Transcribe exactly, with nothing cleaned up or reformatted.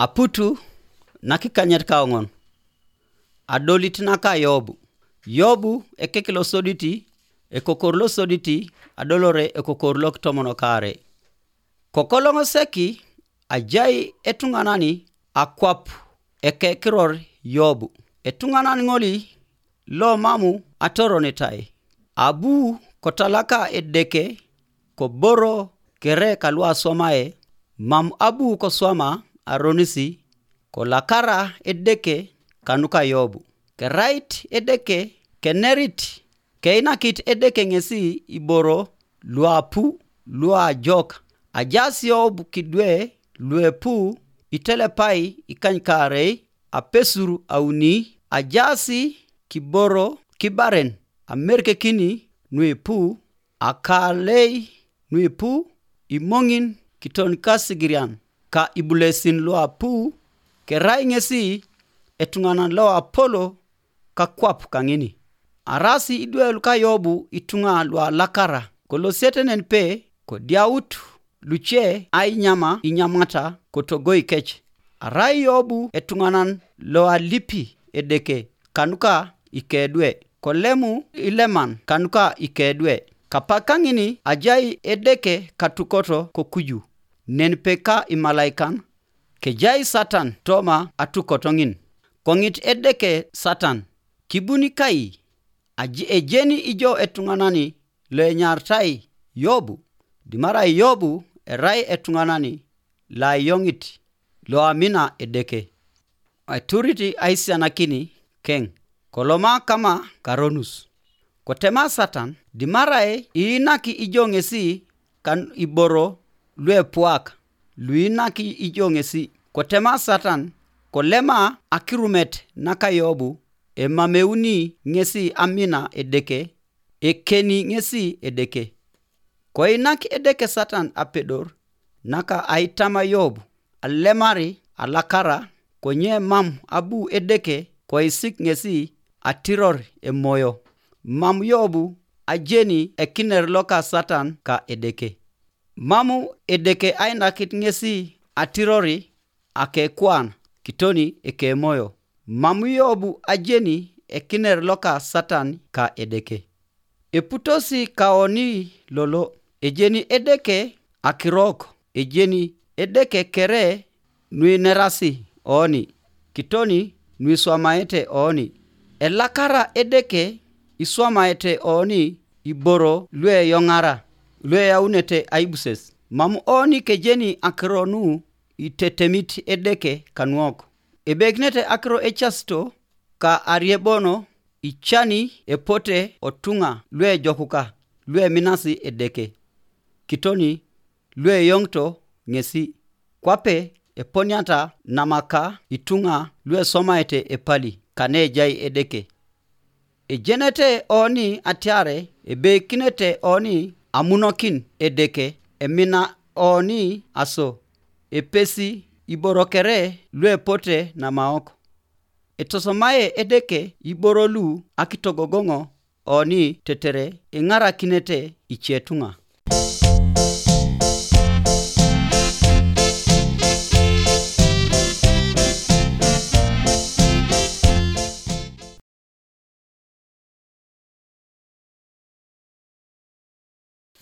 Aputu nakikanyet kaoŋon. Adolit naka Yobu. Yobu ekek losoditi, ekokor losoditi, adolore ekokor lokitomon kare. Kokoloŋ seki ajai etuŋanani akwap ekekiror Yobu. Etuŋanan ŋoli lo mamu atoronitai. Abu kotalaka Edeke koboro kere kaluaswamae, mam abu koswama aronisi, kolakara Edeke kanuka Yobu. Kerait Edeke kenerit, keinakit Edeke ŋesi iboro luapu luajok. Ajaas Yobu kidwe luepu itelepai ikanykaarei apesur auni, ajaas kiboro kibaren amerkekini nuipu, akalei nuipu, imoŋin kitonikasirian ka ibulesin luapu, kerai ŋesi etuŋanan loapolo kakwap kaŋini. Arasi idwe luka Yobu ituŋa lualakara, kolosiete nen pe kodiaut luce ainyama inyamata kotogoi kec. Arai Yobu etuŋanan loalipi Edeke kanuka ikedwe, kolemu ileman kanuka ikedwe. Kapak kaŋini ajai Edeke katukoto kokuju, nen pe ka imalaikan, kejai Satan toma atukoto ŋin. Koŋit Edeke Satan, kibuni kai, aji ejeni ijo etuŋanani loenyartai Yobu, dimarai Yobu erai etuŋanani loayoŋit loamina Edeke. Aiturit aisianakini keŋ, koloma kama karonus. Kotema Satan, dimarai iinaki ijo ŋesi kan iboro luepuak, luinaki ijo ŋesi. Kotema Satan, kolema akirumet naka Yobu, emameuni ŋesi amina Edeke, ekeni ŋesi Edeke. Koinak Edeke Satan apedor naka aitama Yobu, alemari alakara, konye mam abu Edeke koisik ŋesi atiror emoyo. Mam Yobu ajeni ekiner loka Satan ka Edeke. Mamu Edeke ainakit ŋesi atirori akekuan kitoni ekemoyo. Mam Yobu ajeni ekiner loka Satan ka Edeke. Eputosi kaoni lolo, ejeni Edeke akirok, ejeni Edeke kere nuinerasi oni, kitoni nuiswamaete oni. Elakara Edeke iswamaete oni iboro lueyoŋara, lueyaunete aibuses. Mam oni kejeni akiro nu itetemit Edeke kanuok. Ebekinete akiro ecasito ka ariebono icani epote otuŋa luejokuka lueminasi Edeke. Kitoni lueyoŋito ŋesi, kwape eponiata namaka ituŋa luesomaete epali kanejai Edeke. Ejenete oni atiare ebeikinete oni amunokin Edeke, emina oni aso, epesi iboro kere luepote namaok. Etosomae Edeke iboro lu akitogogoŋo oni tetere iŋarakinete icetuŋa.